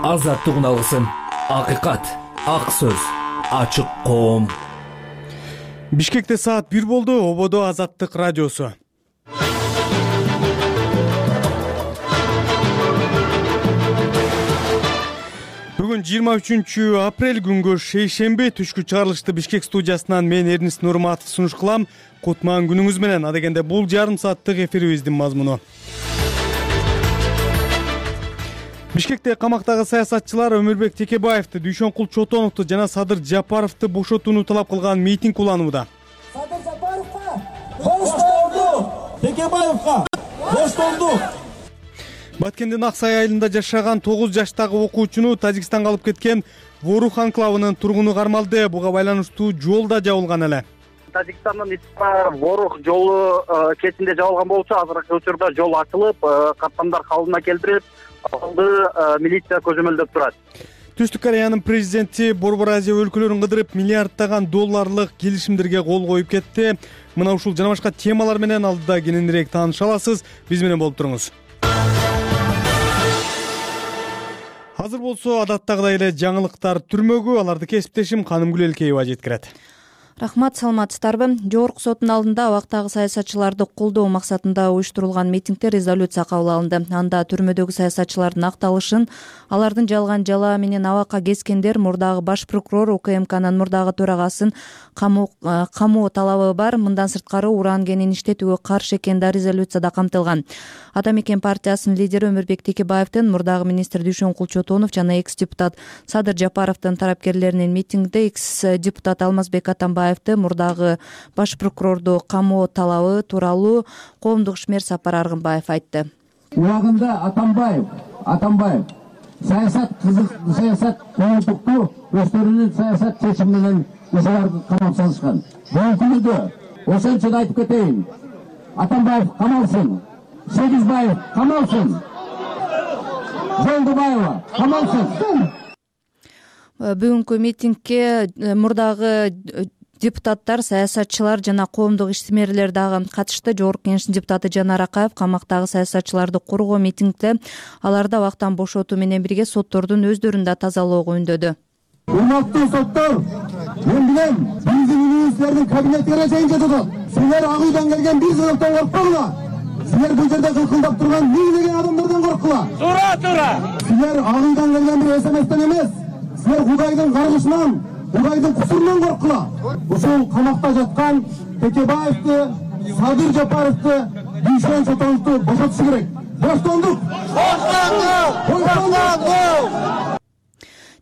азаттык алгысым, акыйкат, ак сөз, ачык коом. Бишкекте саат 1 болду. Ободо Азаттык радиосу. Бүгүн 23 апрель күнгө шейшемби түшкү чыгарылышты Бишкек студиясынан мен Эрнис Нурматов сунуш кылам. Кутман күнүңүз менен. Адегенде бул жарым сааттык эфирибиздин мазмуну. Бишкекте камактагы саясатчылар Өмүрбек Текебаевди, Дүйшөнкул Чотоновду жана Садыр Жапаровду бошотууну талап кылган митинг уланууда. Садыр Жапаровго боштолду, Текебаевга боштолду. Баткендин Аксай айылында жашаган 9 жаштагы окуучуну Тажикстанга алып кеткен Ворух анклавынын тургуну кармалды. Буга байланыштуу жол да жабылган эле. Тажикстандын Ворух жолу кесинде жабылган болчу. Азыркы учурда жол ачылып, каттамдар калыбына келтирип, алды милиция көзөмөлдөп турат. Түштүк Кореянын президенти Борбор Азия өлкөлөрүн кыдырып миллиарддаган долларлык келишимдерге кол коюп кетти. Мына ушул жана башка темалар менен алдыда кененирээк тааныша аласыз. Биз менен болуп туруңуз. Азыр болсо адаттагыдай эле жаңылыктар түрмөгү, аларды кесиптешим Канымгүл Элкеева жеткирет. Рахмат, саламатсыздарбы? Жогорку соттун алдында абактагы саясатчыларды колдоо максатында уюштурулган митингде резолюция кабыл алынды. Анда түрмөдөгү саясатчылардын акталышын, алардын жалган жалаа менен абакка кескендер, мурдагы баш прокурор, УКМКнын мурдагы төрагасын камоо талабы бар. Мындан сырткары уран кенин иштетүүгө каршы экен да резолюцияда камтылган. Ата Мекен партиясынын лидери Өмүрбек Текебаевдин, мурдагы министр Дүйшөнкул Чотонов жана экс-депутат Садыр Жапаровдун тарапкерлеринин митингде экс-депутат Алмазбек Атамбаевди, мурдагы баш прокурорду камоо талабы тууралуу коомдук ишмер Сапар Аргынбаев айтты. Убагында Атамбаев саясат коомдукту өздөрүнүн саясат чечими менен ошолорду камап салышкан. Бүгүнкү күндө ошончо айтып кетейин. Атамбаев камалсын, Сегизбаев камалсын, Жолдубаева камалсын. Бүгүнкү митингге мурдагы депутаттар, саясатчылар жана коомдук ишмерлер дагы катышты. Жогорку Кеңештин депутаты Жанар Акаев камактагы саясатчыларды коргоо митингде аларды абактан бошотуу менен бирге соттордун өздөрүн да тазалоого үндөдү. Урматтуу соттор, мен билем, биздин министрлердин кабинетине чейин жетет. Силер ак үйдөн келген бир жолуктан коркпогула. Силер бул жерде кылкылдап турган миңдеген адамдардан корккула. Туура. Силер ак үйдөн келген бир СМСтен эмес, силер Кудайдын каргышынан, Кудайдын кусурунан корккула. Ушул камакта жаткан Текебаевди, Садыр Жапаровду, Дүйшөн Чотоновду бошотуш керек. Боштондук.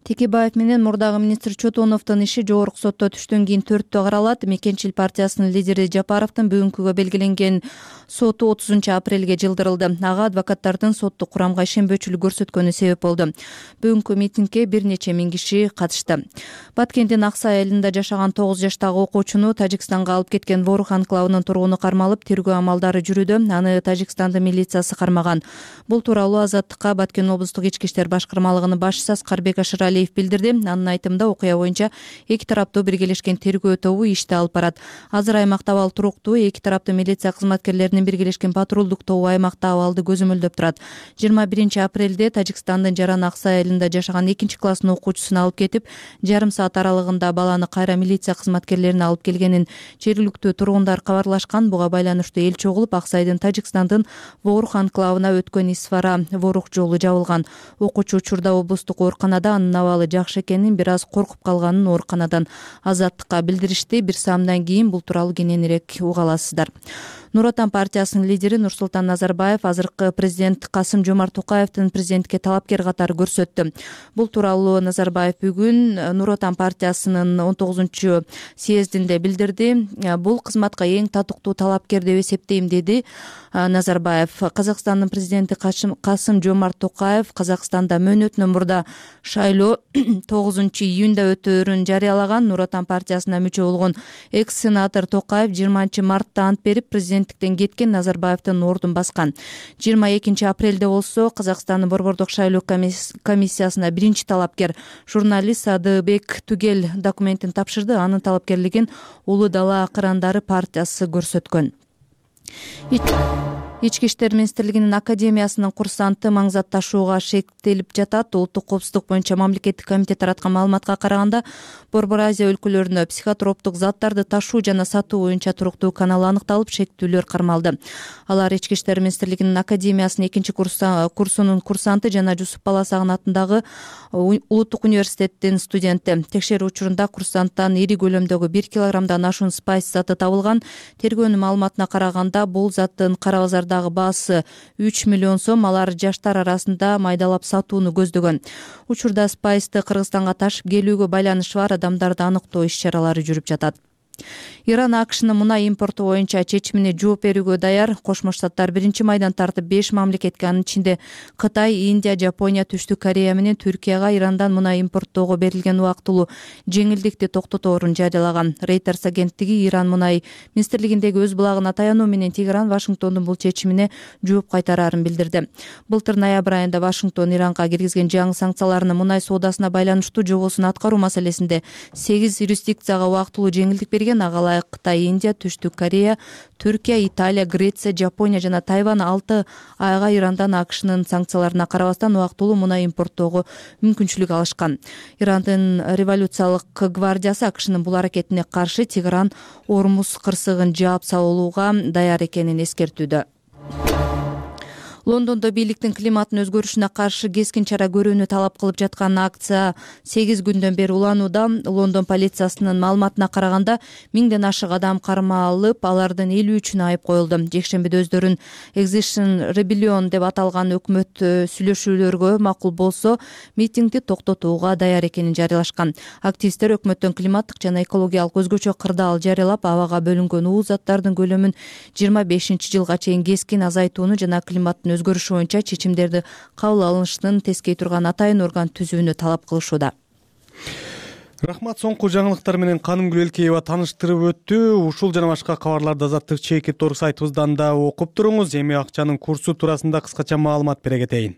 Текебаев менен мурдагы министр Чотоновдун иши жогорку сотто түштөн кийин 4-тө каралат. Мекенчил партиясынын лидери Жапаровдун бүгүнкүгө белгиленген соту 30 апрелге жылдырылды. Ага адвокаттардын соттук курамга ишенбөөчүлүк көрсөткөнү себеп болду. Бүгүнкү митингге бир нече миң киши катышты. Баткендин Аксай айылында жашаган 9 жаштагы окуучуну Тажикстанга алып кеткен Ворух анклавынын тургуну кармалып, тергөө амалдары жүрүүдө. Аны Тажикстандын милициясы кармаган. Бул тууралуу Азаттыкка Баткен облустук ички иштер башкармалыгынын башчысы Аскарбек Ашыралиев билдирди. Анын айтымында окуя боюнча эки тараптуу биргелешкен тергөө тобу ишти алып барат. Азыр аймакта абал туруктуу. Эки тараптуу милиция кызматкерлеринин биргелешкен патрулдук тобу аймакта абалды көзөмөлдөп турат. 21 апрелде Тажикстандын Жаран Аксай айылында жашаган 2-класстын окуучусун алып кетип, жарым саат аралыгында баланы кайра милиция кызматкерлерине алып келгенин жергиликтүү тургундар кабарлашкан. Буга байланыштуу эл чогулуп, Аксайдын Тажикстандын Ворух анклавына өткөн Исфара Ворух жолу жабылган. Окуучу учурда облустук ооруканада, анын абалы жакшы экенин, бир аз коркуп калганын ооруканадан Азаттыкка билдиришти. Бир саамдан кийин бул тууралуу кененирээк уга аласыздар. Нур Отан партиясынын лидери Нурсултан Назарбаев азыркы президент Касым-Жомарт Токаевдин президентке талапкер катары көрсөттү. Бул тууралуу Назарбаев бүгүн Нур Отан партиясынын 19 съездинде билдирди. Бул кызматка эң татыктуу талапкер деп эсептейм, деди Назарбаев. Казакстандын президенти Касым-Жомарт Токаев Казакстанда мөөнөтүнөн мурда шайлоо 9 июнда өтөөрүн жарыялаган. Нур Отан партиясына мүчө болгон экс-сенатор Токаев 20 мартта ант берип президенттиктен кеткен Назарбаевдин ордун баскан. 22 апрелде болсо Казакстандын борбордук шайлоо комиссиясына биринчи талапкер журналист Садыбек Түгел документин тапшырды. Анын талапкерлигин Улуу Дала акырандары партиясы көрсөткөн. Ички иштер министрлигинин академиясынын курсанты маң зат ташууга шектелип жатат. Улуттук коопсуздук боюнча мамлекеттик комитет тараткан маалыматка караганда, Борбор Азия өлкөлөрүнө психотроптук заттарды ташуу жана сатуу боюнча туруктуу канал аныкталып, шектүүлөр кармалды. Алар Ички иштер министрлигинин академиясынын 2-курсунун курсанты жана Жусуп Баласагын атындагы Улуттук университеттин студенти. Текшерүү учурунда курсанттан ири көлөмдөгү 1 килограммдан ашуун спайс заты табылган. Тергөөнүн маалыматына караганда, бул заттын кара базардагы баасы 3 миллион сом. Алар жаштар арасында майдалап сатууну көздөгөн. Учурда спайсты Кыргызстанга ташып келүүгө байланышы бар адамдарды аныктоо иш-чаралары жүрүп жатат. Иран АКШнын мунай импорту боюнча чечимине жооп берүүгө даяр. Кошмо Штаттар 1-майдан тартып 5 мамлекетке, анын ичинде Кытай, Индия, Жапония, Түштүк Корея менен Түркияга Ирандан мунай импорттоого берилген убактылуу жеңилдикти токтоторун жарыялаган. Reuters агенттиги Иран мунай министрлигиндеги өз булагына таянуу менен Тегеран Вашингтондун бул чечимине жооп кайтарарын билдирди. Былтыр ноябрь айында Вашингтон Иранга киргизген жаңы санкцияларынын мунай соодасына байланыштуу жобосун аткаруу маселесинде 8 юрисдикцияга убактылуу жеңилдик берген. Агалай Кытай, Индия, Түштүк Корея, Түркия, Италия, Греция, Жапония жана Тайвань 6 айга Ирандан АКШнын санкцияларына карабастан убактылуу мунай импорттоого мүмкүнчүлүк алышкан. Ирандын революциялык гвардиясы АКШнын бул аракетине каршы Тегеран Ормуз кырсыгын жаап салууга даяр экенин эскертүүдө. Лондондо бийликтин климаттын өзгөрүшүнө каршы кескин чара көрүүнү талап кылып жаткан акция 8 күндөн бери уланууда. Лондон полициясынын маалыматына караганда 1000ден ашык адам кармалып, алардын 53-үнө айып коюлду. Жекшембиде өздөрүн Extinction Rebellion деп аталган өкмөт сүйлөшүүлөргө макул болсо, митингди токтотууга даяр экенин жарыялашкан. Активисттер өкмөттөн климаттык жана экологиялык өзгөчө кырдаал жарыялап, абага бөлүнгөн уулуу заттардын көлөмүн 25-жылга чейин кескин азайтууну жана климаттын өзгөрүшү боюнча чечимдерди кабыл алынышын тескей турган атайын орган түзүүнү талап кылышууда. Рахмат, соңку жаңылыктар менен Канымгүл Элкеева тааныштырып өттү. Ушул жана башка кабарларды Азаттык Чекит.org сайтыбыздан да окуп туруңуз. Эми акчанын курсу туурасында кыскача маалымат бере кетейин.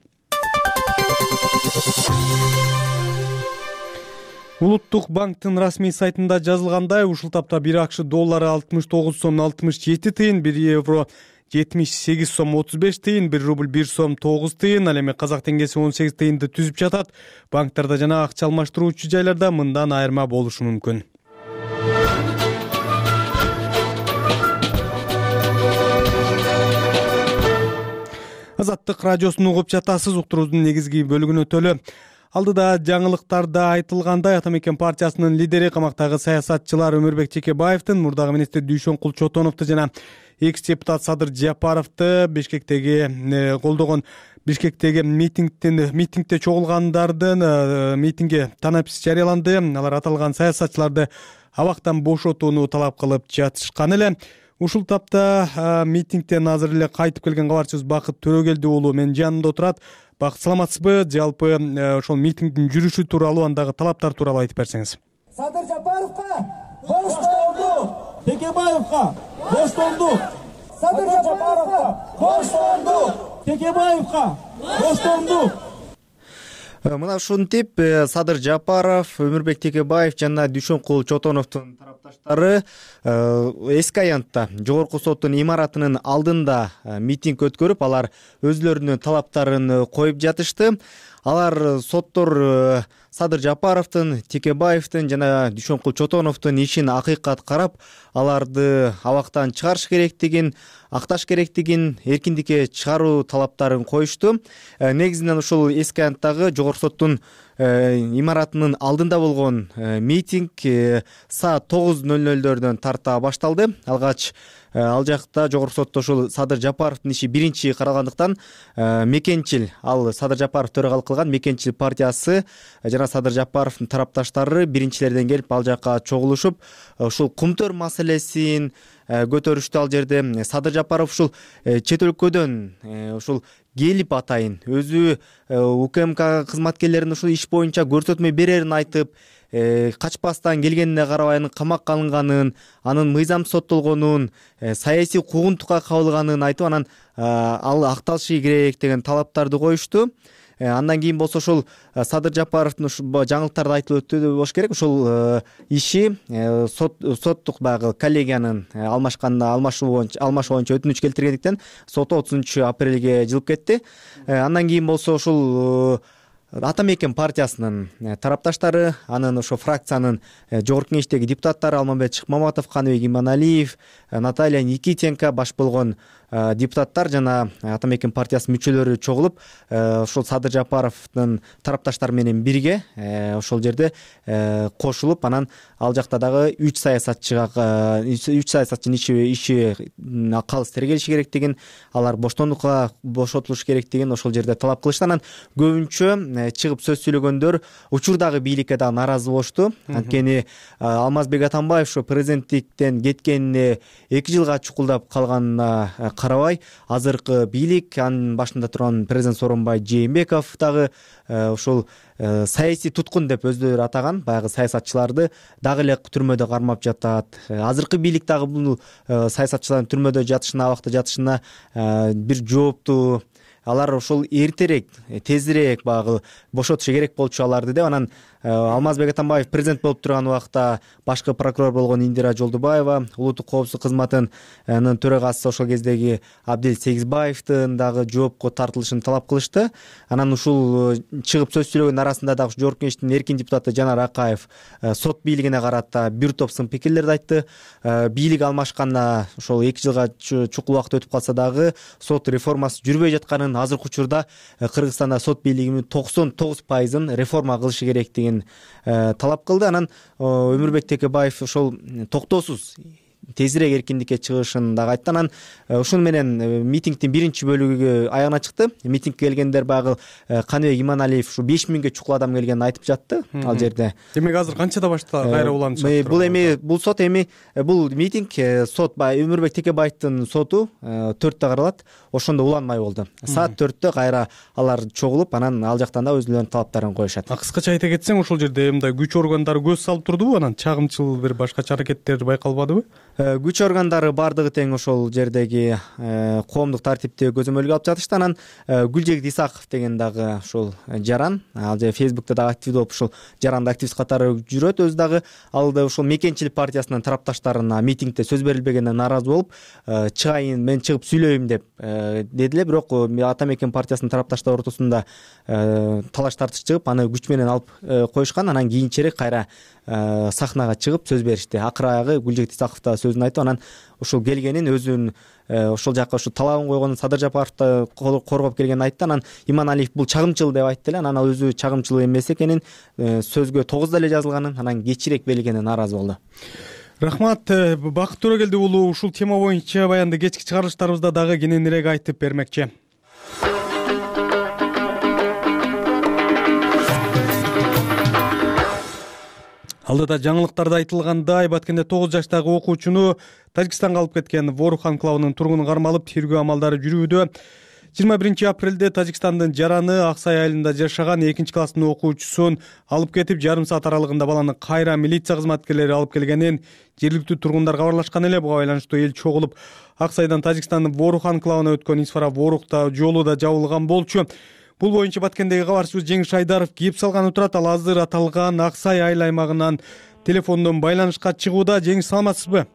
Улуттук банктын расмий сайтында жазылгандай, ушул тапта 1 акш доллары 69 сом 67 тыйын, 1 евро 78 сом 35 тыйын, 1 рубль 1 сом 9 тыйын, ал эми казак теңгеси 18 тыйынды түзүп жатат. Банктарда жана акча алмаштыруучу жайларда мындан айырма болушу мүмкүн. Азаттык радиосун угуп жатасыз. Уктуруубуздун негизги бөлүгүнө төлө. Алдыда жаңылыктарда айтылгандай, Ата Мекен партиясынын лидери, камактагы саясатчылар Өмүрбек Чекебаевдин, мурдагы министр Дүйшөнкул Чотоновду жана экс-депутат Садыр Жапаровду Бишкектеги колдогон Бишкектеги митингде чогулгандардын митингге танапис жарыяланды. Алар аталган саясатчыларды абактан бошотууну талап кылып жатышкан эле. Ушул тапта митингден азыр эле кайтып келген кабарчыбыз Бакыт Төрөгелди уулу менин жанымда отурат. Бакыт, саламатсызбы? Жалпы ошол митингдин жүрүшү тууралуу, андагы талаптар тууралуу айтып берсеңиз. Садыр Жапаровка боштолду. Текебаевка боштолду. Садыр Жапаровка боштолду. Текебаевка боштолду. Мына ушинтип Садыр Жапаров, Өмүрбек Текебаев жана Дүйшөнкул Чотоновдун тарапташтары эски аянтта жогорку соттун имаратынын алдында митинг өткөрүп, алар өзлөрүнүн талаптарын коюп жатышты. Алар соттор Садыр Жапаровдун, Текебаевдин жана Дүйшөнкул Чотоновдун ишин акыйкат карап, аларды абактан чыгарыш керектигин, акташ керектигин, эркиндикке чыгаруу талаптарын коюшту. Негизинен ушул эски аянттагы жогорку соттун имаратынын алдында болгон митинг саат 9:00 тарта башталды. Алгач ал жакта жогорку сотто ушул Садыр Жапаровдун иши биринчи каралгандыктан Мекенчил, ал Садыр Жапаров төрагалык кылган Мекенчил партиясы жана Садыр Жапаровдун тарапташтары биринчилерден келип ал жакка чогулушуп, ушул кумтөр маселесин көтөрүштү. Ал жерде Садыр Жапаров ушул чет өлкөдөн ушул келип атайын, өзү УКМК кызматкерлеринин ушул иш боюнча көрсөтмө берерин айтып, качпастан келгенине карабай анын камакка алынганын, анын мыйзам соттолгонун, саясий куугунтукка кабылганын айтып, анан ал акталышы керек деген талаптарды коюшту. Андан кийин болсо ошол Садыр Жапаровдун жаңылыктарды айтылып өттү болуш керек. Ошол иши соттук баягы коллегиянын алмашуу боюнча өтүнүч келтиргендиктен соту 30 апрелге жылып кетти. Андан кийин болсо ушул Ата мекен партиясынын тарапташтары, анын ошо фракциянын жогорку кеңештеги депутаттары Алмамбет Шыкмаматов, Каныбек Иманалиев, Наталья Никитенко баш болгон депутаттар жана Ата мекен партиясынын мүчөлөрү чогулуп, ошол Садыр Жапаровдун тарапташтары менен бирге ошол жерде кошулуп, анан ал жакта дагы 3 саясатчынын иши калыс тергелиши керектигин, алар бошотулуш керектигин ошол жерде талап кылышты. Анан көбүнчө чыгып сөз сүйлөгөндөр учурдагы бийликке дагы нааразы болушту. Анткени Алмазбек Атамбаев ошо президенттиктен кеткенине 2 жылга чукулдап калганына карабай, азыркы бийлик, анын башында турган президент Сооронбай Жээнбеков дагы ошол саясий туткун деп өздөрү атаган баягы саясатчыларды дагы эле түрмөдө кармап жатат. Азыркы бийлик дагы бул саясатчылардын түрмөдө жатышына, абакта жатышына бир жооптуу. Алар ошол эртерээк, тезирээк баягы бошотушу керек болчу аларды деп. Анан Алмазбек Атамбаев президент болуп турган убакта башкы прокурор болгон Индира Жолдубаева, улуттук коопсуздук кызматынын төрагасы ошол кездеги Абдел Сегизбаевдин дагы жоопко тартылышын талап кылышты. Анан ушул чыгып сөз сүйлөгөн арасында дагы жогорку кеңештин эркин депутаты Жанар Акаев сот бийлигине карата бир топ сын пикирлерди айтты. Бийлик алмашканда ошол 2 жылга чукул убакыт өтүп калса дагы сот реформасы жүрбөй жатканын, азыркы учурда Кыргызстанда сот бийлигинин 99% реформа кылышы керектигин талап кылды. Анан Өмүрбек Текебаев ошол токтоосуз тезирээк эркиндикке чыгышын дагы айтты. Анан ушуну менен митингдин биринчи бөлүгү аягына чыкты. Митингге келгендер баягы Каныбек Иманалиев ушу 5000ге чукул адам келгенин айтып жатты ал жерде. Демек азыр канчада башта кайра уланышат? Бул митинг сот Өмүрбек Текебаевдин соту 4-тө каралат. Ошондо уланмай болду. Саат 4-тө кайра алар чогулуп, анан ал жактан да өзүлөрүнүн талаптарын коюшат. Кыскача айта кетсең, ошол жерде мындай күч органдары көз салып турдубу? Анан чагымчыл бир башкача аракеттер байкалбадыбы? Күч органдары бардыгы тең ошол жердеги коомдук тартипти көзөмөлгө алып жатышты. Анан Гүлжегит Исаков деген дагы ошол жаран, ал же Facebook'та дагы актив болуп, ошол жаранды активист катары жүрөт. Өзү дагы ал да ошол мекенчилик партиясынын тарапташтарына митингде сөз берилбегенине нааразы болуп, чыгайын, мен чыгып сүйлөйм деп дедиле. Бирок Ата мекен партиясынын тарапташтары ортосунда талаш тартыш чыгып, аны күч менен алып коюшкан. Анан кийинчерээк кайра сахнага чыгып сөз беришти. Акыры аягы Гүлжегит Исаков да сөзүн айтып, анан ошол келгенин, өзүнүн ошол жака ошо талабын койгонун, Садыр Жапаровду коргоп келгенин айтты. Анан Иманалиев бул чагымчыл деп айтты эле. Анан ал өзү чагымчыл эмес экенин, сөзгө 9 эле жазылганын, анан кечирээк белгенин нааразы болду. Рахмат, Бакыт Төрөгелди уулу ушул тема боюнча баянды кечки чыгарылыштарыбызда дагы кененирээк айтып бермекчи. Алдыда жаңылыктарда айтылгандай, Баткенде 9 жаштагы окуучуну Тажикстанга алып кеткен Ворух анклавынын тургуну кармалып, тергөө амалдары жүрүүдө. 21 апрелде Тажикстандын Жараны Аксай айылында жашаган 2-класстын окуучусун алып кетип, жарым саат аралыгында баланы кайра милиция кызматкерлери алып келгенин жергиликтүү тургундар кабарлашкан эле. Буга байланыштуу эл чогулуп, Аксайдан Тажикстандын Ворух анклавына өткөн Исфара Ворухта жолу да жабылган болчу. Бул боюнча Баткендеги кабарчыбыз Жеңиш Айдаров кеп салган турат. Ал азыр аталган Аксай айыл аймагынан телефондон байланышка чыгууда. Жеңиш, саламатсызбы?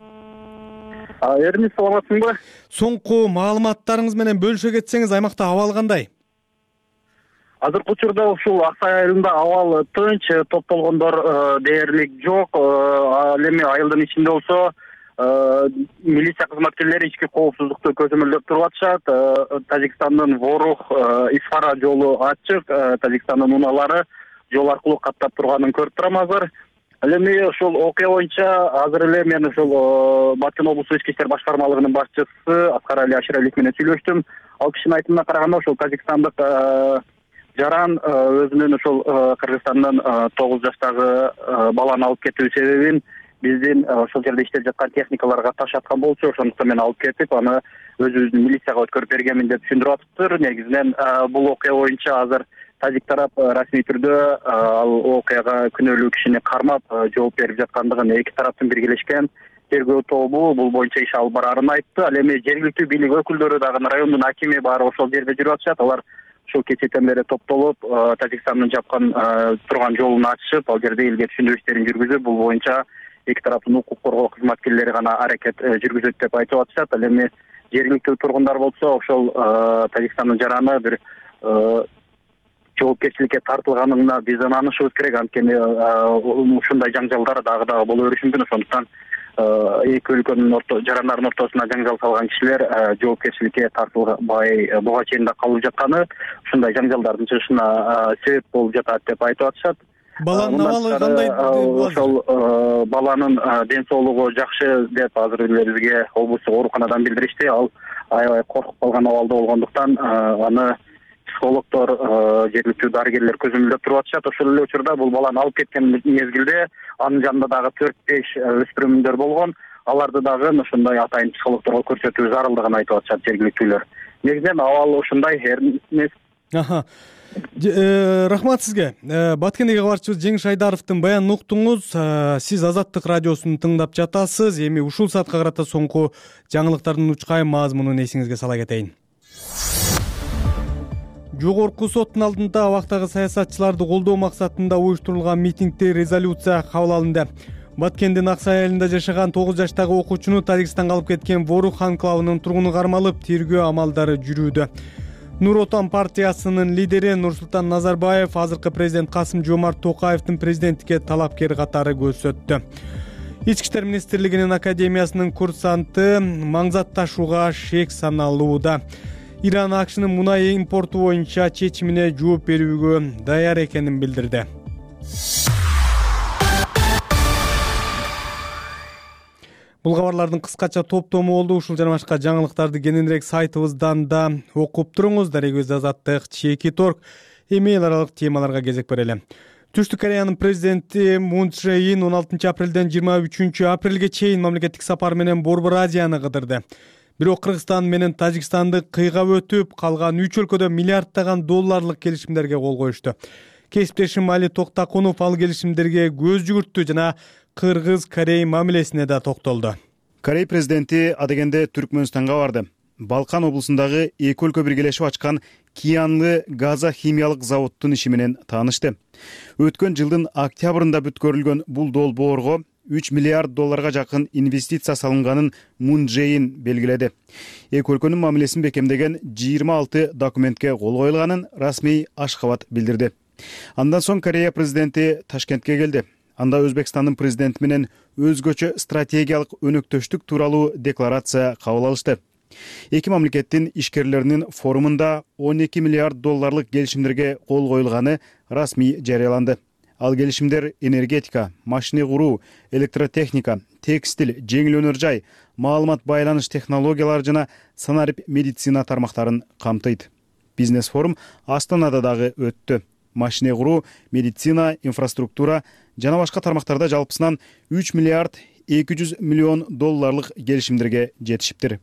Эрмис, саламатсыңбы? Соңку маалыматтарыңыз менен бөлүшө кетсеңиз, аймакта абал кандай? Азыркы учурда ушул Аксай айылында абал тынч, топтолгондор дээрлик жок. Ал эми айылдын ичинде болсо милиция кызматкерлери ички коопсуздукту көзөмөлдөп туруп атышат. Тажикстандын Ворух Исфара жолу ачык. Тажикстандын унаалары жол аркылуу каттап турганын көрүп турам азыр. Ал эми ошол окуя боюнча азыр эле мен ошол Баткен облустук ички иштер башкармалыгынын башчысы Аскар Али Аширалиев менен сүйлөштүм. Ал кишинин айтымына караганда, ошол тажикстандык жаран өзүнүн ошол Кыргызстандын 9 жаштагы баланы алып кетүү себебин биздин ошол жерде иштеп жаткан техникаларга ташаткан болчу. Ошондуктан мен алып кетип, аны өзүбүздүн милицияга өткөрүп бергенмин деп түшүндүрүп атыптыр. Негизинен бул окуя боюнча азыр тажик тарап расмий түрдө ал окуяга күнөөлүү кишини кармап жооп берип жаткандыгын, эки тараптын биргелешкен тергөө тобу бул боюнча иш алып барарын айтты. Ал эми жергиликтүү бийлик өкүлдөрү дагы райондун акими баары ошол жерде жүрүп атышат. Алар ушул кечээден бери топтолуп Тажикстандын жапкан турган жолун ачышып, ал жерде элге түшүндүрүү иштерин жүргүзүп, бул боюнча эки тараптын укук коргоо кызматкерлери гана аракет жүргүзөт деп айтып атышат. Ал эми жергиликтүү тургундар болсо ошол Тажикстандын жараны бир жоопкерчиликке тартылганына биз ынанышыбыз керек. Анткени ушундай жаңжалдар дагы боло бериши мүмкүн. Ошондуктан эки өлкөнүн жарандардын ортосуна жаңжал салган кишилер жоопкерчиликке тартылбай буга чейин да калып жатканы ушундай жаңжалдардын чыгышына себеп болуп жатат деп айтып атышат. Баланын абалы кандай? Ошол баланын ден соолугу жакшы деп азыр эле бизге облустук ооруканадан билдиришти. Ал аябай коркуп калган абалда болгондуктан аны психологдор, жергиликтүү дарыгерлер көзөмөлдөп туруп атышат. Ошол эле учурда бул баланы алып кеткен мезгилде анын жанында дагы 4-5 өспүрүмдөр болгон. Аларды дагы ошондой атайын психологдорго көрсөтүү зарылдыгын айтып атышат жергиликтүүлөр. Негизинен абал ушундай эмес. Рахмат сизге. Баткендеги кабарчыбыз Жеңиш Айдаровдун баянын уктуңуз. Сиз Азаттык радиосун тыңдап жатасыз. Эми ушул саатка карата соңку жаңылыктардын учкай мазмунун эсиңизге сала кетейин. Жогорку соттун алдында абактагы саясатчыларды колдоо максатында уюштурулган митингде резолюция кабыл алынды. Баткендин Аксай айылында жашаган 9 жаштагы окуучуну Тажикстанга алып кеткен Ворух анклавынын тургуну кармалып, тергөө амалдары жүрүүдө. Нур Отан партиясынын лидери Нурсултан Назарбаев азыркы президент Касым Жомарт Токаевдин президенттикке талапкер катары көрсөттү. Ички иштер министрлигинин академиясынын курсанты маңзат ташууга шек саналууда. Иран АКШнын мунай импорту боюнча чечимине жооп берүүгө даяр экенин билдирди. Бул кабарлардын кыскача топтому болду. Ушул жана башка жаңылыктарды кененирээк сайтыбыздан да окуп туруңуз. Дарегөз Азаттык, Чеки Торг. Эми эл аралык темаларга кезек берели. Түштүк Кореянын президенти Мун Чже Ин 16 апрелден 23 апрелге чейин мамлекеттик сапар менен Борбор Азияны кыдырды. Бирок Кыргызстан менен Тажикстанды кыйгап өтүп, калган 3 өлкөдө миллиарддаган долларлык келишимдерге кол коюшту. Кесиптешим Али Токтакунов ал келишимдерге көз жүгүрттү жана Кыргыз-Корей мамилесине да токтолду. Корей президенти адегенде Түркмөнстанга барды. Балкан облусундагы эки өлкө биргелешип ачкан Киянлы газа химиялык заводдун иши менен таанышты. Өткөн жылдын октябрында бүткөрүлгөн бул долбоорго 3 миллиард долларга жакын инвестиция салынганын Мун Чже Ин белгиледи. Эки өлкөнүн мамилесин бекемдеген 26 документке кол коюлганын расмий Ашхабад билдирди. Андан соң Корея президенти Ташкентке келди. Анда Өзбекстандын президенти менен өзгөчө стратегиялык өнөктөштүк тууралуу декларация кабыл алышты. Эки мамлекеттин ишкерлеринин форумунда 12 миллиард долларлык келишимдерге кол коюлганы расмий жарыяланды. Ал келишимдер энергетика, машина куруу, электротехника, текстиль, жеңил өнөр жай, маалымат байланыш технологиялары жана санарип медицина тармактарын камтыйт. Бизнес форум Астанада дагы өттү. Машина куруу, медицина, инфраструктура жана башка тармактарда жалпысынан 3 миллиард 200 миллион долларлык келишимдерге жетишиптир.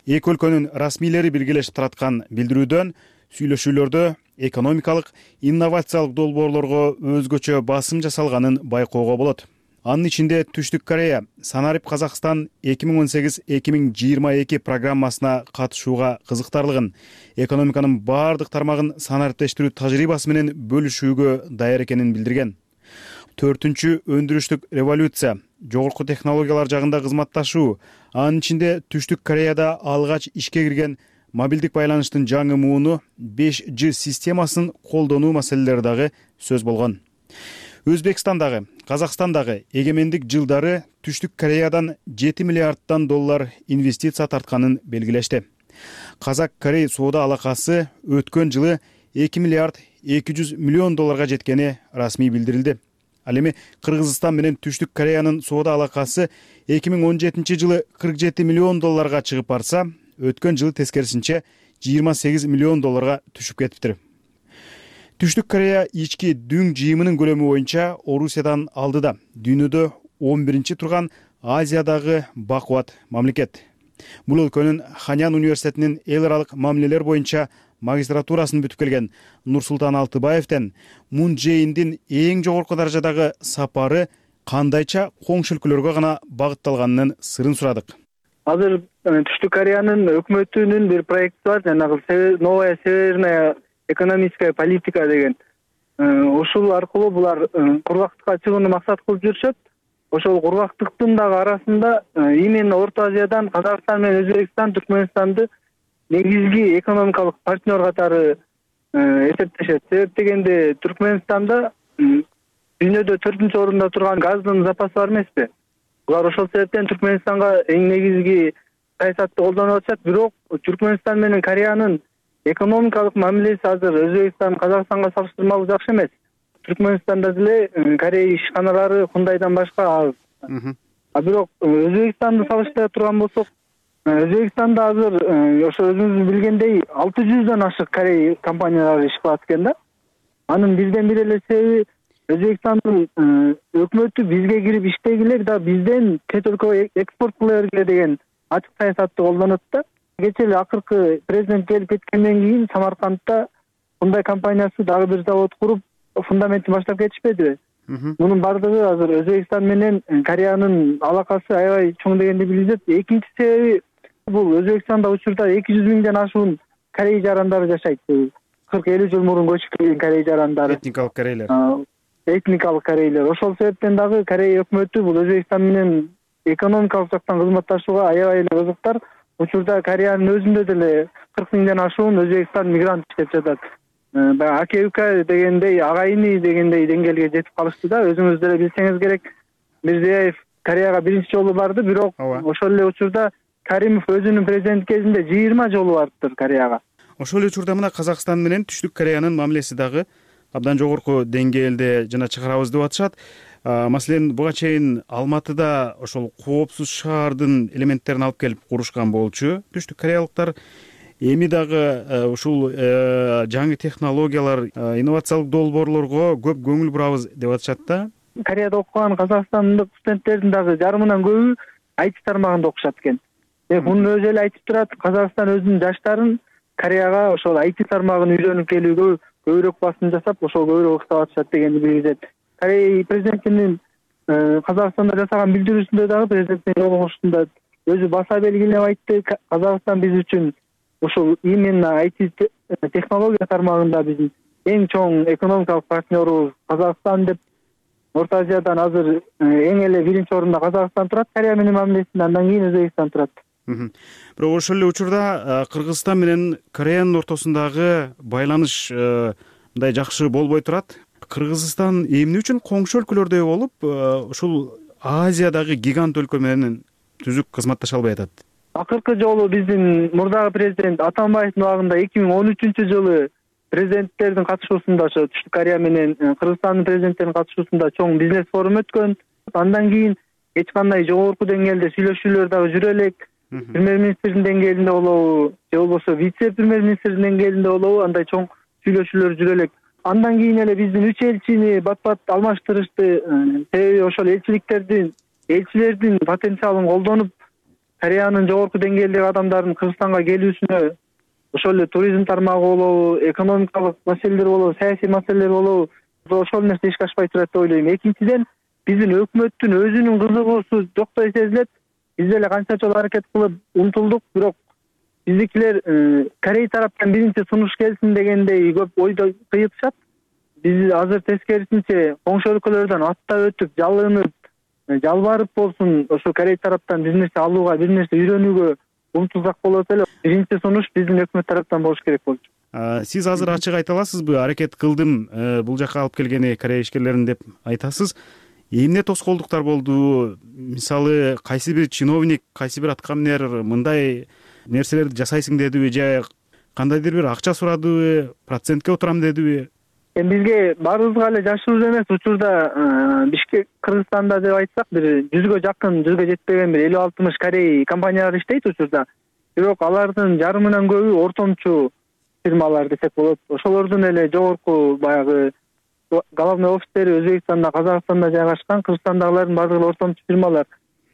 Эки өлкөнүн расмийлери биргелешип тараткан билдирүүдөн сүйлөшүүлөрдө экономикалык, инновациялык долбоорлорго өзгөчө басым жасалганын байкоого болот. Анын ичинде Түштүк Корея Санарип Казакстан 2018-2022 программасына катышууга кызыктарлыгын, экономиканын бардык тармагын санариптештирүү тажрыйбасы менен бөлүшүүгө даяр экенин билдирген. 4-үнчү өндүрүштүк революция, жогорку технологиялар жагында кызматташуу, анын ичинде Түштүк Кореяда алгач ишке кирген мобилдик байланыштын жаңы мууну 5G системасын колдонуу маселелери дагы сөз болгон. Өзбекстандагы, Казакстандагы эгемендик жылдары Түштүк Кореядан 7 миллиарддан доллар инвестиция тартканын белгилешти. Казак-Корей соода алакасы өткөн жылы 2 миллиард 200 миллион долларга жеткени расмий билдирилди. Ал эми Кыргызстан менен Түштүк Кореянын соода алакасы 2017 жылы 47 миллион долларга чыгып барса, өткөн жылы тескерисинче 28 миллион долларга түшүп кетиптир. Түштүк Корея ички дүң жыйымынын көлөмү боюнча Орусиядан алдыда, дүйнөдө 11-чи турган Азиядагы бакубат мамлекет. Бул өлкөнүн Ханян университетинин эл аралык мамилелер боюнча магистратурасын бүтүп келген Нурсултан Алтыбаевден Мун Чже Индин эң жогорку даражадагы сапары кандайча коңшу өлкөлөргө гана багытталганынын сырын сурадык. Азыр Түштүк Кореянын өкмөтүнүн бир проекти бар, жанагы новая северная экономическая политика деген. Ушул аркылуу булар кургактыкка чыгууну максат кылып жүрүшөт. Ошол кургактыктын дагы арасында именно Орто Азиядан Казакстан менен Өзбекстан, Түркмөнстанды негизги экономикалык партнер катары эсептешет. Себеп дегенде Түркмөнстанда дүйнөдө 4-ч орунда турган газдын запасы бар эмеспи? Булар ошол себептен Түркмөнстанга эң негизги саясатты колдонуп атышат. Бирок Түркмөнстан менен Кореянын экономикалык мамилеси азыр Өзбекстан, Казакстанга салыштырмалуу жакшы эмес. Түркмөнстанда деле Корея ишканалары Хундайдан башка аз. Бирок Өзбекстанды салыштыра турган болсок, Өзбекстанда азыр ошо өзүңүз билгендей 600дөн ашык Корея компаниялары иш кылат экен да. Анын бирден бир эле себеби Өзбекстандын өкмөтү бизге кирип иштегиле да бизден чет өлкөгө экспорт кыла бергиле деген ачык саясатты колдонот да. Кечээ эле акыркы президент келип кеткенден кийин Самаркандта мындай компаниясы дагы бир завод куруп фундаментин баштап кетишпедиби? Мунун бардыгы азыр Өзбекстан менен Кореянын алакасы аябай чоң дегенди билдирет. Экинчи себеби бул Өзбекстанда учурда 200 миңден ашуун корей жарандары жашайт. 40-50 жыл мурун көчүп келген корей жарандары. Этникалык корейлер. Этникалык корейлер. Ошол себептен дагы Корея өкмөтү бул Өзбекстан менен экономикалык жактан кызматташууга аябай эле кызыктар. Учурда Кореянын өзүндө деле 40 миңден ашуун Өзбекстан мигрант иштеп жатат. Баягы аке-ука дегендей, агайыны дегендей деңгээлге жетип калышты да. Өзүңүз деле билсеңиз керек, Мирзиёев Кореяга биринчи жолу барды, бирок ошол эле учурда Каримов өзүнүн президент кезинде 20 жолу бардыр Кореяга. Ошол эле учурда мына Казакстан менен Түштүк Кореянын мамилеси дагы абдан жогорку деңгээлде жана чыгарабыз деп атышат. Маселен, буга чейин Алматыда ошол коопсуз шаардын элементтерин алып келип курушкан болчу түштүк кореялыктар. Эми дагы ушул жаңы технологиялар, инновациялык долбоорлорго көп көңүл бурабыз деп атышат да. Кореяда окуган казакстандык студенттердин дагы жарымынан көбү IT тармагында окушат экен. Мунун өзү эле айтып турат, Казакстан өзүнүн жаштарын Кореяга ошол IT тармагын үйрөнүп келүүгө көбүрөөк басым жасап, ошол көбүрөөк уктап атышат дегенди билдирет. Корея президентинин Казакстанда жасаган билдирүүсүндө дагы президенттин жолугушуусунда өзү баса белгилеп айтты, Казакстан биз үчүн ушул именно IT технология тармагында биздин эң чоң экономикалык партнерубуз Казакстан деп. Орто Азиядан азыр эң эле биринчи орунда Казакстан турат, Корея менен мамилесинде, андан кийин Өзбекстан турат. Бирок ошол эле учурда Кыргызстан менен Кореянын ортосундагы байланыш мындай жакшы болбой турат. Кыргызстан эмне үчүн коңшу өлкөлөрдөй болуп, ушул Азиядагы гигант өлкө менен түзүк кызматташа албай атат? Акыркы жолу биздин мурдагы президент Атамбаевдин убагында 2013-жылы президенттердин катышуусунда ошо Түштүк Корея менен Кыргызстандын президенттеринин катышуусунда чоң бизнес форум өткөн. Андан кийин эч кандай жогорку деңгээлде сүйлөшүүлөр дагы жүрө элек. Премьер-министрдин деңгээлинде болобу, же болбосо вице-премьер-министрдин деңгээлинде болобу, андай чоң сүйлөшүүлөр жүрө элек. Андан кийин эле биздин 3 элчини бат-бат алмаштырышты. Себеби ошол элчилердин потенциалын колдонуп, Кореянын жогорку деңгээлдеги адамдардын Кыргызстанга келүүсүнө ошол эле туризм тармагы болобу, экономикалык маселелер болобу, саясий маселелер болобу, ошол нерсе ишке ашпай турат деп ойлойм. Экинчиден, биздин өкмөттүн өзүнүн кызыгуусу жоктой сезилет. Биз деле канча жолу аракет кылып умтулдук, бирок биздикилер Корей тараптан биринчи сунуш келсин дегендей көп ойдо кыйытышат. Биз азыр тескерисинче коңшу өлкөлөрдөн аттап өтүп, жалынып, жалбарып болсун ошо Корей тараптан бир нерсе алууга, бир нерсе үйрөнүүгө умтулсак болот эле. Биринчи сунуш биздин өкмөт тараптан болуш керек болчу. Сиз азыр ачык айта аласызбы? Аракет кылдым бул жака алып келгени Корея ишкерлерин деп айтасыз. Эмне тоскоолдуктар болду? Мисалы, кайсы бир чиновник, кайсы бир аткаминер мындай нерселерди жасайсың дедиби, же кандайдыр бир акча сурадыбы, процентке отурам дедиби? Бизге баарыбызга эле жашыруу эмес, учурда Бишкек, Кыргызстанда деп айтсак, бир 100гө жакын, 100гө жетпеген бир 50-60 Корей компаниялар иштейт учурда. Бирок алардын жарымынан көбү ортомчу фирмалар десек болот. Ошолордун эле жогорку баягы главный офистери Өзбекстанда, Казакстанда жайгашкан, Кыргызстандагылардын баардыгы ортомчу фирмалар.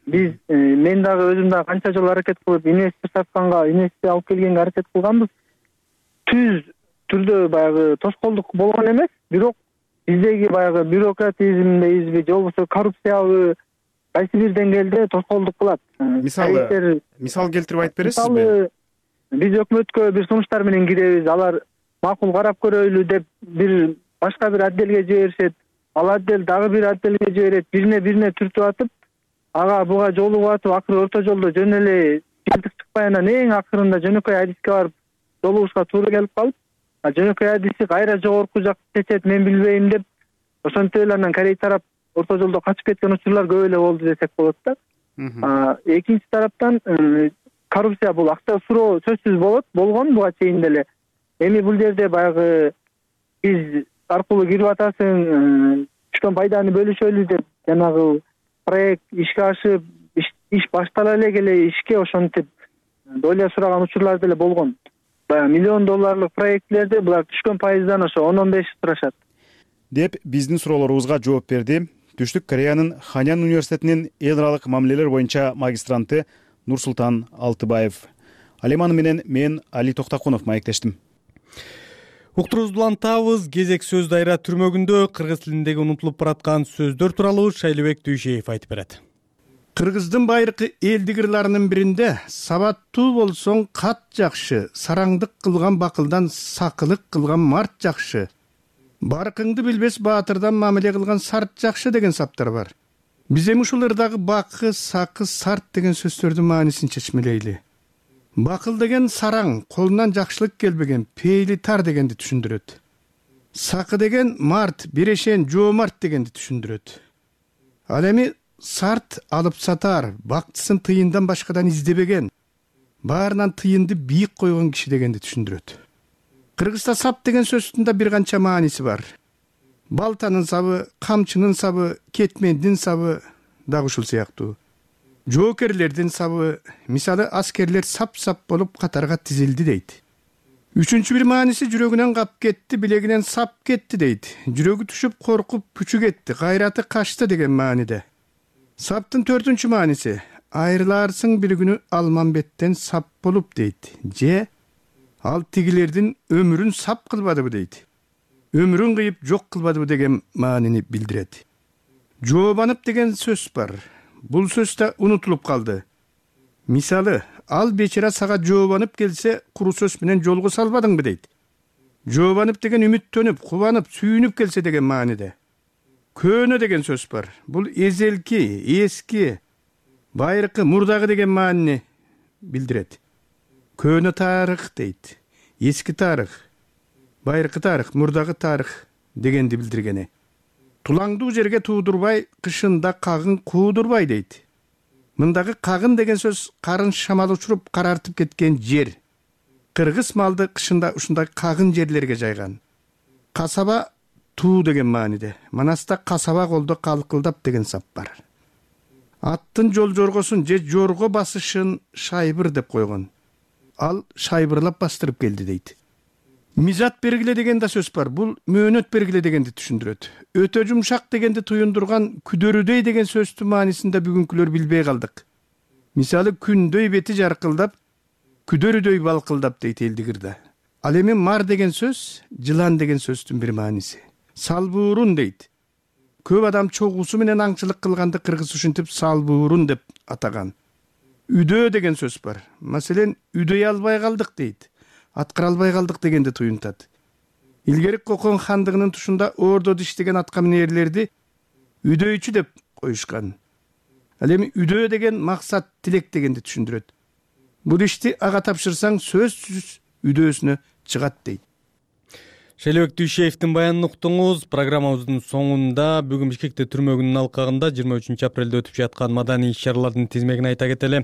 Биз мен дагы өзүм дагы канча жолу аракет кылып, инвестор сатканга, инвестиция алып келгенге аракет кылганбыз. Түз түрдө баягы тоскоолдук болгон эмес, бирок биздеги баягы бюрократизмдейбизби же болбосо коррупциябы кайсы бир деңгээлде тоскоолдук кылат. Мисал келтирип айтып бересизби? Мисалы, биз өкмөткө бир сунуштар менен киребиз, алар макул карап көрөйлү деп бир башка бир отделге жиберишет, ал отдел дагы бир отделге жиберет, бирине түртүп атып, ага буга жолугуп атып, акыры орто жолдо жөн эле жыйынтык чыкпай анан эң акырында жөнөкөй адиске барып жолугушка туура келип калып, жөнөкөй адиси кайра жогорку жакты чечет, мен билбейм деп, ошентип эле анан Корей тарап орто жолдо качып кеткен учурлар көп эле болду десек болот да. Экинчи тараптан коррупция бул акча суроо сөзсүз болгон буга чейин деле. Эми бул жерде баягы биз аркылуу кирип атасың, түшкөн пайданы бөлүшөлү деп жанагы проект ишке ашып, иш баштала эле келе ишке ошентип доля сураган учурлар деле болгон. Баягы $1 миллион проектлерде булар түшкөн пайыздан ошо 10-15 турашат деп биздин суроолорубузга жооп берди Түштүк Кореянын Ханян университетинин эл аралык мамилелер боюнча магистранты Нурсултан Алтыбаев. Алеманы менен мен Али Токтакунов маектештим. Уктуруубузду улантабыз. Кезек сөз дайра түрмөгүндө кыргыз тилиндеги унутулуп бараткан сөздөр тууралуу Шайлыбек Дүйшеев айтып берет. Кыргыздын байыркы элдик ырларынын биринде сабаттуу болсоң кат жакшы, сараңдык кылган бакылдан сакылык кылган март жакшы, баркыңды билбес баатырдан мамиле кылган сарт жакшы деген саптар бар. Биз эми ушул ырдагы бакы, сакы, сарт деген сөздөрдүн маанисин чечмелейли. Бакыл деген сараң, колунан жакшылык келбеген, пейли тар дегенди түшүндүрөт. Сакы деген март, бирешен, жоомарт дегенди түшүндүрөт. Ал эми сарт алып сатар, бактысын тыйындан башкадан издебеген, баарынан тыйынды бийик койгон киши дегенди түшүндүрөт. Кыргызда сап деген сөздүн да бир канча мааниси бар. Балтанын сабы, камчынын сабы, кетмендин сабы дагы ушул сыяктуу. Жоокерлердин сабы, мисалы аскерлер сап-сап болуп катарга тизилди дейт. Үчүнчү бир мааниси жүрөгүнөн кап кетти, билегинен сап кетти дейт. Жүрөгү түшүп коркуп пүчү кетти, кайраты качты деген мааниде. Саптын төртүнчү мааниси айрыларсың бир күнү Алмамбеттен сап болуп дейт. Же ал тигилердин өмүрүн сап кылбадыбы дейт. Өмүрүн кыйып жок кылбадыбы деген маанини билдирет. Жообанып деген сөз бар. Бул сөз да унутулуп калды. Мисалы, ал бечара сага жообанып келсе, куру сөз менен жолго салбадыңбы дейт. Жообанып деген үмүттөнүп, кубанып, сүйүнүп келсе деген мааниде. Көөнө деген сөз бар. Бул эзелки, эски, байыркы, мурдагы деген маанини билдирет. Көөнө тарых дейт. Эски тарых, байыркы тарых, мурдагы тарых дегенди билдиргени. Тулаңдуу жерге туудурбай, кышында кагын куудурбай дейт. Мындагы кагын деген сөз карын шамал учуруп карартып кеткен жер. Кыргыз малды кышында ушундай кагын жерлерге жайган. Касаба туу деген мааниде. Манаста касаба колдо калкылдап деген сап бар. Аттын жол жоргосун же жорго басышын шайбыр деп койгон. Ал шайбырлап бастырып келди дейт. Мизат бергиле деген да сөз бар. Бул мөөнөт бергиле дегенди түшүндүрөт. Өтө жумшак дегенди туюндурган күдөрүдөй деген сөздүн маанисин да бүгүнкүлөр билбей калдык. Мисалы күндөй бети жаркылдап, күдөрүдөй балкылдап дейт элдик ырда. Ал эми мар деген сөз жылан деген сөздүн бир мааниси. Салбуурун дейт. Көп адам чогуусу менен аңчылык кылганды кыргыз ушинтип салбуурун деп атаган. Үдөө деген сөз бар. Маселен, үдөй албай калдык дейт. Аткара албай калдык дегенди туюнтат. Илгери Кокон хандыгынын тушунда ордо диштеген атка минерлерди үдөйчү деп коюшкан. Ал эми үдөө деген максат, тилек дегенди түшүндүрөт. Бул ишти ага тапшырсаң сөзсүз үдөөсүнө чыгат дейт. Шайлыбек Дүйшеевдин баянын уктуңуз. Программабыздын соңунда бүгүн Бишкекте түрмөгүнүн алкагында 23 апрелде өтүп жаткан маданий иш-чаралардын тизмегин айта кетели.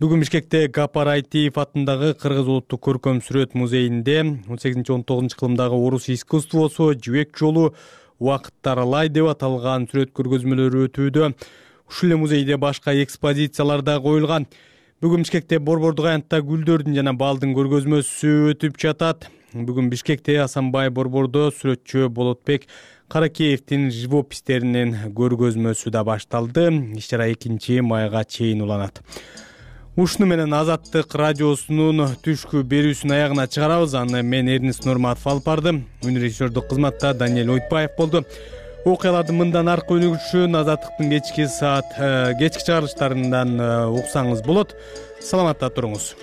Бүгүн Бишкекте Гапар Айтиев атындагы Кыргыз улуттук көркөм сүрөт музейинде 18-19 кылымдагы орус искусствосу жибек жолу убакытты аралай деп аталган сүрөт көргөзмөлөрү өтүүдө. Ушул эле музейде башка экспозициялар да коюлган. Бүгүн Бишкекте борбордук аянтта гүлдөрдүн жана балдын көргөзмөсү өтүп жатат. Бүгүн Бишкекте Асанбай борбордо сүрөтчү Болотбек Каракеевдин живопистеринин көргөзмөсү да башталды. Иш-чара 2 майга чейин уланат. Ушуну менен Азаттык радиосунун түшкү берүүсүн аягына чыгарабыз. Аны мен Эрнис Нурматов алып бардым. Режиссердук кызматта Даниэль Ойтбаев болду. Окуялардын мындан аркы өнүгүшүн Азаттыктын кечки чыгарылыштарынан уксаңыз болот. Саламатта туруңуз.